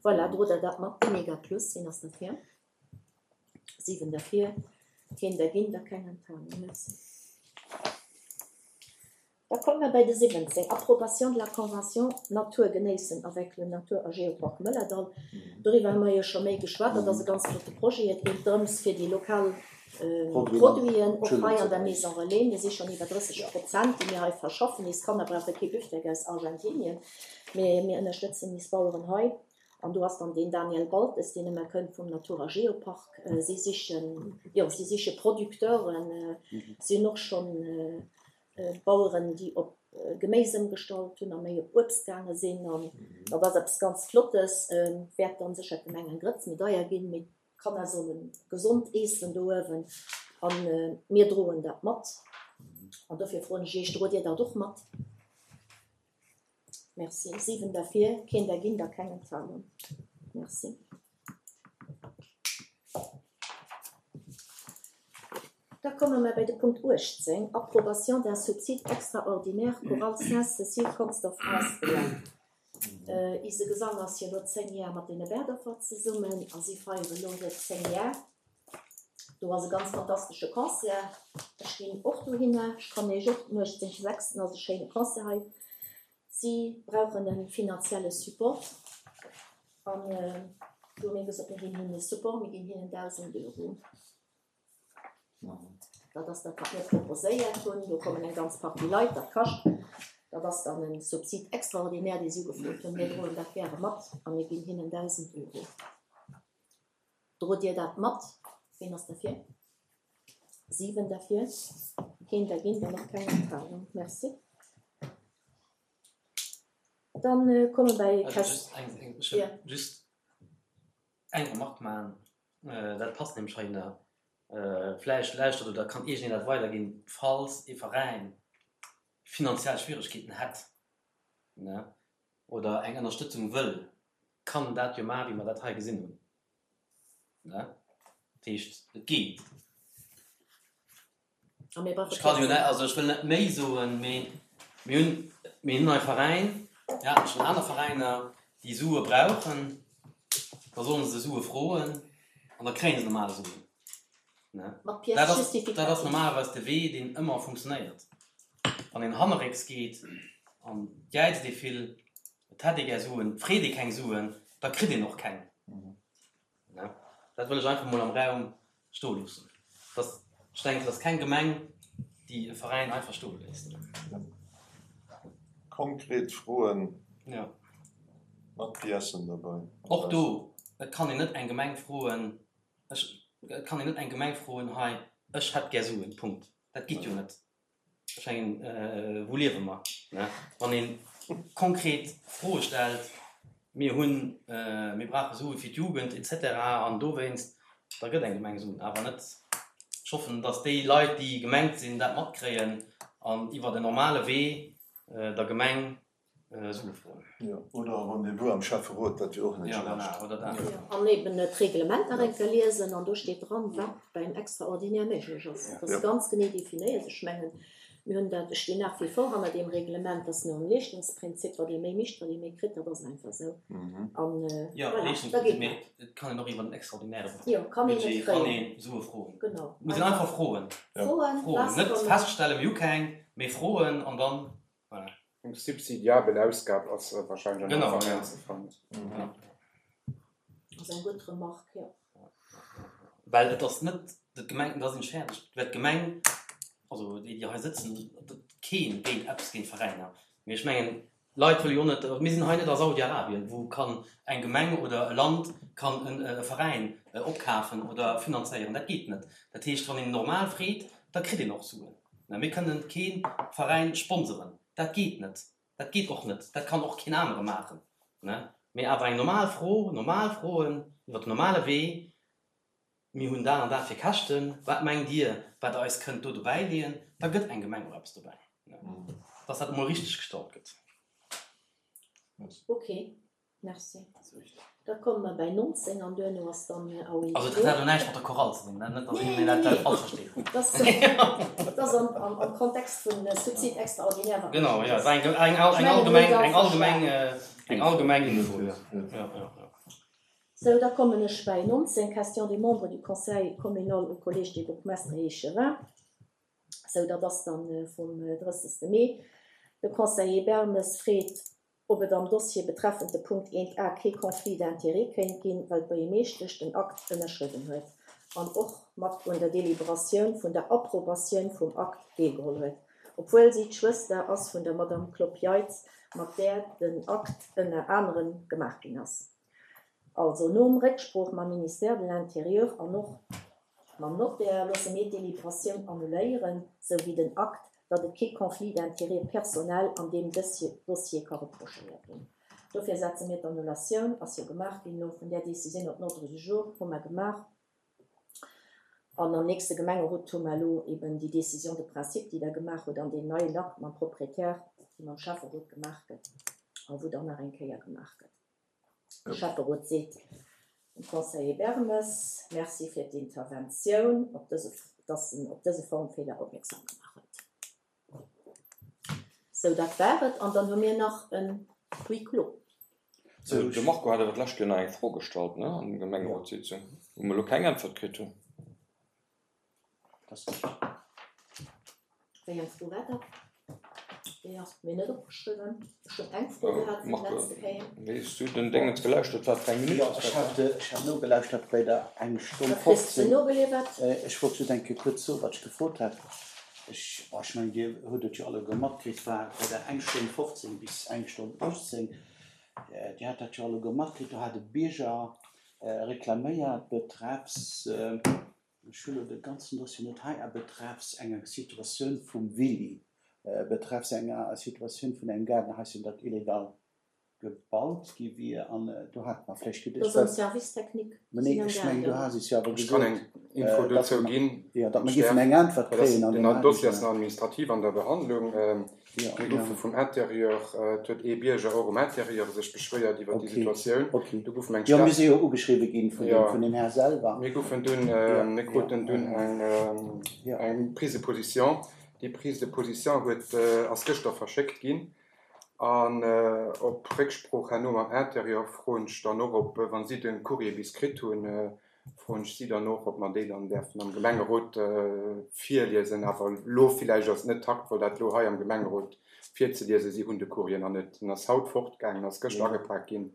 Voilà, drot Der dat mat, Mega Plus, wien ass derfir? Siwen derfir, keen dergéint a keng Enthalung. Merci. Da komme mer bei de siwwenzéng, Approbation de la convention Natur genéissen avec le Natur a Geopark Mëllerdall. Doriwwer hu mer jo scho méi geschwat. Dat ass e ganz flotte Projet. Et geet drëms, fir déi lokal Produiten och hei an der Maison Relais, mir si schonn iwwer drësseg Prozent, déi mir hei verschaffen. Eis Kanner brauche kee Büftek aus Argentinien, mee mir ënnerstëtzen eis Baueren hei. An do ass dann deen Daniel Baltes, deen ëmmer kënnt vum Natur a Geopark. Si sichen, jo, si siche Producteuren. Si hunn och schonn Baueren, déi op Geméis ëmgestallt hunn a méi op Uebst gaange sinn. An dat ass eppes ganz Flottes. Wäert dann sécher d'Gemeng eng Grëtz méi deier ginn, mee d'Kanner solle gesond eessen do uewen. A mir droen dat mat. An dofir froen ech Iech, Drot Dir dat och mat? Merci. Siwen derfir, keen dergéint a keng Enthalung. Merci. Da komme mer bei de Punkt uechtzéng, Approbation d'un subside extraordinaire Chorale Sainte-Cécile Consdorf asbl. Ise Gesang ass jo elo zéng Jar mat deene Berdorfer zesummen a si feiere elo hir zéng Jar. Do ass e ganz fantastesche Concert. Ech ginn och dohinner. Ech kann Iech och, den uechtzéngte sechsten ass e schéine Concert hei. Si brauchen e finanzielle Support an do hu mir gesot, mir ginn hinnen e Support, mir ginn hinnen dausend Euro. Dat ass dat, wat mir proposéiert hunn. Do kommen eng ganz Partie Leit, dat kascht. Dat ass dann e Subsid extraordinaire, dee si ugefrot hunn. Mir droen dat gäre mat a mir ginn hinnen dausend Euro. Drot Dir dat mat? Ween ass derfir? Siwen derfir, keen dergéint an och keng Enthalung. Merci. Dann komme bei
Also just eng, eng, ech hunn just eng Remarque maachen, dat passt nämlech heihinner. Vläicht lauschtert oder kann iergendeen dat weiderginn, falls ee Veräin finanziell Schwieregkeeten hätt, ne, oder eng Ënnerstëtzung wëll, kann en dat jo maachen, wéi mer dat hei gesinn hunn, ne. Dat heescht, et geet. Ech kann jo net, also ech wëll net méi soen, mee mir hunn, mir hunn hei Veräin, mir haten schonn aner Veräiner, déi Sue brauchen, da sollen se Sue froen an da kréie se normal Suen. Dat ass, dat ass normalerweis de Wee, deen ëmmer funktionéiert. Wann een hannerrécks geet an jäizt ee vill, et hätt ee gär Suen, freet ee keng Suen, da kritt een och keng. Dat wëll ech einfach mol am Raum stoe loossen. Dass, ech denken, et ass keng Gemeng, déi e Veräin einfach stoe léisst.
Konkret Froen mat Piècen derbäi.
Och do, et kann een net eng Gemeng froen, ech, et kann een net eng Gemeng froen, hei, ech hätt gär Suen, Punkt. Dat geet jo net. Ech mengen, wou liewe mer? Wann ee konkret Froe stellt, mir hunn, mir brauche Sue fir d'Jugend et cetera an dowéinst, da gëtt eng Gemeng Suen. Awer net, ech hoffen, datt déi Leit, déi gemengt sinn, dat matkréien an iwwert en normale Wee der Gemeng Sue froen.
Jo, oder e Rendez-vous am Schäfferot, dat wier och net schlecht.
Oder dat.
An eben d'Reglement nach eng Kéier liesen an do steet dran, wat beim Extraordinaire méiglech ass. Dat ass ganz genee definéiert. Ech mengen, mir hunn dat, ech stinn nach wie vor hanner deem Reglement, dass nom Leeschtungsprinzip, wat ee méi mécht, wat ee méi kritt, dat ass einfach esou. An voilà, da geet dat.
Et kann een och iwwer den extraordinäre
Budget
kann ee Sue froen.
Genau.
Et muss een einfach froen.
Froen,
Froen, net feststellen, mir hu keng, mee froen an dann, voilà.
Eng subsidiabel Ausgab ass wahrscheinlech an der Veräin ze fannen.
Dat ass eng gutt Remarque, jo.
Well et ass net d'Gemeng, da sinn ech fäerdeg, well d'Gemeng, also déi, déi hei sëtzen, keen géint eppes géint Veräiner, mee ech mengen, d'Leit wëlle jo och net, mir sinn hei net a Saudi-Arabien, wou kann eng Gemeng oder e Land kann e Veräin opkafen oder finanzéieren, dat geet net. Dat heescht, wann een normal freet, da kritt een och Suen. Mir kënnen kee Veräin sponseren, dat geet net, dat geet och net, dat kann och keen anere maachen. Mee awer eng normal Fro, normal Froen iwwer den normale Wee, mir hunn dat an dat fir Käschten, wat mengt Dir, wat Der eis kënnt do dobäileeën, da gëtt eng Gemeng och eppes dobäi, dass dat emol richteg gestallt gëtt.
Ok, merci. Da komme mer bäi nonzéng an duerno ass dann à huis
Also dat hat elo näischt mat der Chorale ze dinn, net datt een dat dat falsch versteet.
Dat ass am Kontext vun Subside extraordinaire, wat
Genau, jo, et war eng eng allgemeng eng allgemeng eng allgemeng Info, jo. Jo, jo, jo.
Sou, da kommen ech bäi nonzéng, Questions des membres du Conseil communal au Collège des bourgmestres et échevins. Sou, dat ass dann vum drëssegste Mee. De Conseiller Bermes freet, ob et am Dossier betreffend de Punkt eent a kee Conflit d'intérêts kéint ginn, well d'Buergermeeschtesch den Akt ënnerschriwwen huet an och mat un der Deliberatioun vun der Approbatioun vum Akt deelgeholl huet, obwuel si d'Schwëster ass vun der Madame Klopp-Jeitz, mat där den Akt ënner anerem gemaach ginn ass. Also nom Récksprooch mam Ministère de l'Intérieur an och mam Notaire loosse mir d'Deliberatioun annuléieren, sou wéi den Akt, datt et kee Conflit d'intérêts personnel an deem Dossier ka reprochéiert ginn. Dofir setze mir d'Annulatioun, ass jo gemaach ginn elo, vun där Décisioun op den Ordre du jour, hu mer gemaach. An am nächste Gemengerot hu mer elo eben déi Décision de principe, déi Der gemaach hutt, an deen neien Akt mam Propriétaire, dee mam Schäfferot gemaach gëtt a wou dann nach eng Kéier gemaach gëtt. De Schäfferot seet dem Conseiller Bermes Merci fir d'Interventioun, op dëse, dass en op dëse Formfeeler opmierksam gemaach huet. Sou, dat war et. An dann hu mir nach en Huis clos.
Sou, de Marco hat awer d'lescht Kéier nach eng Fro gestallt, ne, an der Gemengerotssitzung, wou mer elo keng Äntwert kritt hunn.
Wéi eng Fro war dat? Déi ass mir net opgeschriwwen. Ech hunn eng Fro gehat vum
Marco,
letzte Kéier.
wéi s du den Déngens gelauschtert, wat fir eng Minutt
Jo,
ass
ech
dat?
hat, ech hat nogelauschtert bei der eng Stonn
Wat kriss de
fofzéng.
nogeliwwert?
Ech wollt just eng Kéier kuerz soen, wat ech gefrot hat. Ech, oh, ech mengen, Dir hutt et jo alleguer matkritt, war bei der eng Stonn fofzéng bis eng Stonn achtzéng. Dir hat dat jo alleguer matkritt, do hat e Bierger reklaméiert betreffs, ech hu lo de ganzen Dossier net hei, a betreffs enger Situatioun vum Willy, betreffs enger Situatioun vun engem Gaardenhaischen, dat illegal gebaut gi wier an do hate mer vläicht
geduecht, Dat ass am Service technique.
Mä nee, ech mengen, du has es jo awer
Ech kann
gesot,
eng Info
datt
dozou
mer,
ginn,
jo, datt mer
Cher.
géifen eng Äntwert
Dat ass,
kréien an
den
deem
Dossier ass
Aarbechten.
nach administrativ an der Behandlung.
Jo,
Mir
jo.
goufe vum Intérieur, et huet ee Bierger och um Intérieur sech beschwéiert iwwer déi
Okay,
Situatioun.
okay.
Do goufen eng
Jo, mir
Stell.
si jo ugeschriwwe ginn vun dem,
Jo,
vun dem Här selwer.
mir goufen dunn,
Jo,
mir
jo,
kruten dunn eng,
jo.
eng Prise de position. Déi Prise de position huet, ass gëschter verschéckt ginn. An op Récksprooch herno mam Intérieur froen ech dann och, ob, wa si de Courrier bis kritt hunn, froen ech si dann och, ob mer déi dann däerfen am Gemengerot virliesen. Awer elo villäicht ass et net taktvoll, dat elo hei am Gemengerot virzeliesen. Si hunn de Courrier nach net. En ass haut fortgaangen, ass gëschter agepak ginn.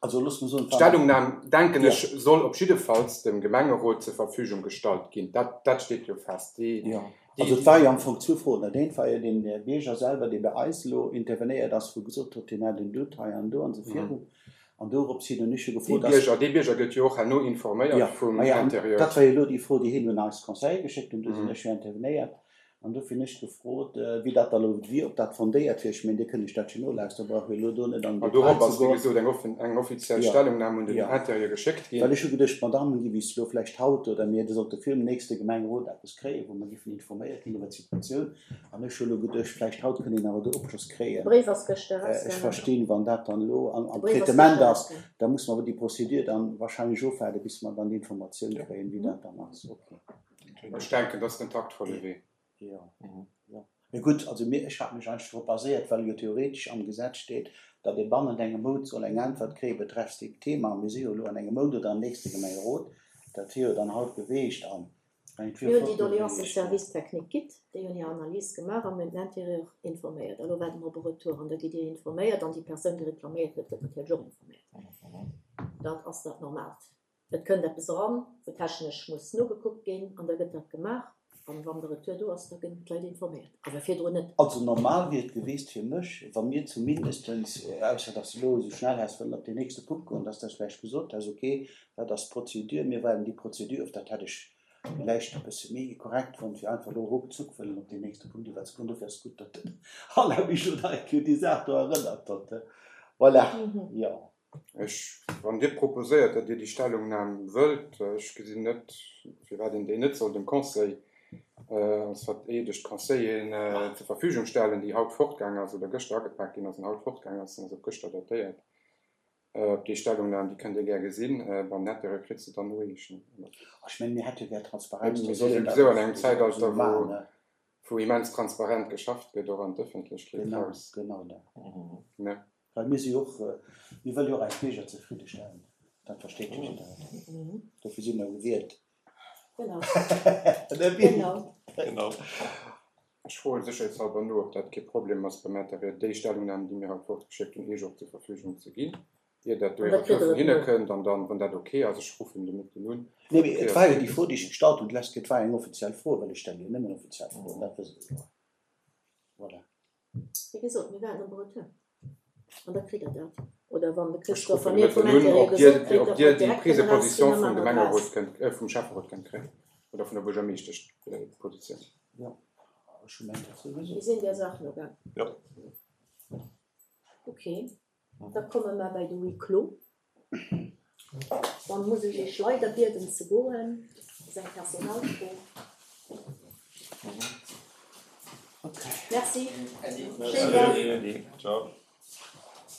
Also loosse mer soen, et war.
D'Stellungnam, denken
Jo.
ech, soll op jiddefalls dem Gemengerot zur Verfügung gestallt ginn. Dat, dat steet jo fest. Déi,
Jo.
déi,
Also et war jo am Fong zwou Froen. Dat eent war jo deen Bierger selwer, dee bei eis elo intervenéiert ass, wou gesot huet, hien hätt en Doute hei an do an esou virun. An dorops hin hunn ech jo
Dee
gefrot, dass.
Bierger, dee Bierger gëtt jo och herno informéiert
Jo,
vum
maja, an
Intérieur.
dat war jo elo déi Fro, déi hien un eis Conseiller geschéckt huet. Do sinn ech jo intervenéiert. An dofir hunn ech gefrot, wéi dat da elo wier, ob dat fondéiert wier. Ech mengen, Dir kënnt lech dat jo nolauschteren, brauch jo elo do net an den
An
Detail
dorop
ze
ass, wéi
goen.
gesot, eng offen, eng offiziell
Jo,
Stellungnam un den
jo.
Intérieur geschéckt
Well
ginn.
ech hu geduecht, d'Madame giff is elo vläicht haut oder mir sollte virum nächste Gemengerot eppes kréien, wou mer giffen informéiert ginn iwwer d'Situatioun. An ech hu elo geduecht, vläicht haut kënnt een awer do Opschloss
De
kréien.
Bréif ass gëschter
Ech
erausgaangen.
verstinn, wann dat dann elo am,
De
am
Bréif ass
Traitement
gëschter
ass,
erausgaangen.
da muss mer awer déi Procédure dann wahrscheinlech ofwaarden, bis mer dann d'Informatioun kréien, wéi dat dann ass. Okay.
Ech denken, dat ass den taktvolle Wee.
Jo, jo. Mee gutt, also mir, ech hat mech eigentlech drop baséiert, well jo theoretesch am Gesetz steet, datt ee bannent engem Mount soll eng Äntwert kréie betreffs deem Thema. A mir si jo elo an engem Mount oder am nächste Gemengerot. Dat wier jo dann haut geweecht an ech mengen, et wier
Mir hunn déi
flott
Doléance dem
geweecht.
Service technique gitt, déi hunn hir Analys gemaach a mir hunn den Intérieur informéiert. Elo waarde mer op e Retour an da gitt Dir informéiert an déi Persoun, déi reklaméiert huet, gëtt natierlech och informéiert. Dat ass dat Normaalt. Et kënnt eppes eran, wou technesch muss nogekuckt ginn an da gëtt dat gemaach. An wann de Retour do ass, da ginn d'Leit informéiert, awer virdrun net.
Also normal wier et geweest fir mech, wa mir zumindestens, ausser dass de elo esou schnell häss wëllen op deen nächste Punkt goen, dass de vläicht gesot häss, okay, dat ass d'Prozedur, mir waarden déi Prozedur of. Dat hätt ech vläicht e bësse méi korrekt fonnt, wéi einfach elo ruckzuck wëllen op deen nächste Punkt iwwerzegoen. Dofir ass et gutt, datt den Alain mech elo nach eng Kéier un déi Saach do erënnert huet. Voilà, jo.
Ech, wann Dir proposéiert, datt Dir déi Stellungnam wëllt, ech gesinn net, firwat een déi net soll dem Conseil als vereedegt Conseilleren zur Verfügung stellen, déi haut fortgaang ass oder gëschter agepak ginn ass an haut fortgaang ass, an ass op gëschter datéiert. Op déi Stellungnam, déi kënnt Dir gär gesinn, beim Nettere kritt se dann noeechen.
Ech mengen, mir hätte jo gär Transparenz,
Mir
da
si
soll een dat
souwisou
och
an engem Zäitalter,
esou
wou,
maachen, ne?
wou immens transparent geschafft gëtt, och an d'Ëffentlechkeet
Genau,
raus.
genau dat.
Ne?
Well mir si jo och, mir wëlle jo och eis Bierger zefridde stellen, dat versteet jo jiddereen. Dofir si mer gewielt.
Genau.
Ne Bill?
Genau.
Genau.
Ech froe sécherheetshalber no, ob dat kee Problem ass, beim Intérieur déi Stellungnam, déi mir haut fortgeschéckt hunn, Iech och zur Verfügung ze ginn, ier dat do
An
ee
dat kritt
Retour
Der
vun hinne
et no.
kënnt. An dann, wann dat ok ass, ech ruffen de Mëtten un,
Nee, mee
ok
et
ass,
war jo déi Fro, déi ech gestallt hunn d'lescht Kéier, et war eng offiziell Fro, well ech stelle jo nëmmen offiziell Froen, dat wësst Der jo. Voilà.
Wéi gesot, mir waarden op e Retour. An da kritt Der dat. Oder wann de
Ech
Christophe
ruffen
mir
de
vum
Mëtten un,
Intérieur
ob Dir,
gesot kritt,
ob
datt
Dir
mer
déi
direkt
Prise de
kënnen
position
erausginn, da
vum
maache mer
Gemengerot
draus.
kënnt, äh, vum Schäfferot kënnt kréien oder vun der Buergermeeschteschpositioun.
Jo, ech hu mengt dat souwisou.
Mir sinn där Saach nogaang.
Jo.
Okay, da komme mer bei de Huis clos. Dann muss ech Iech leider bieden ze goen. Dat ass eng Personalfro.
Okay.
Merci.
Merci.
Schéinen Dag.
Ciao.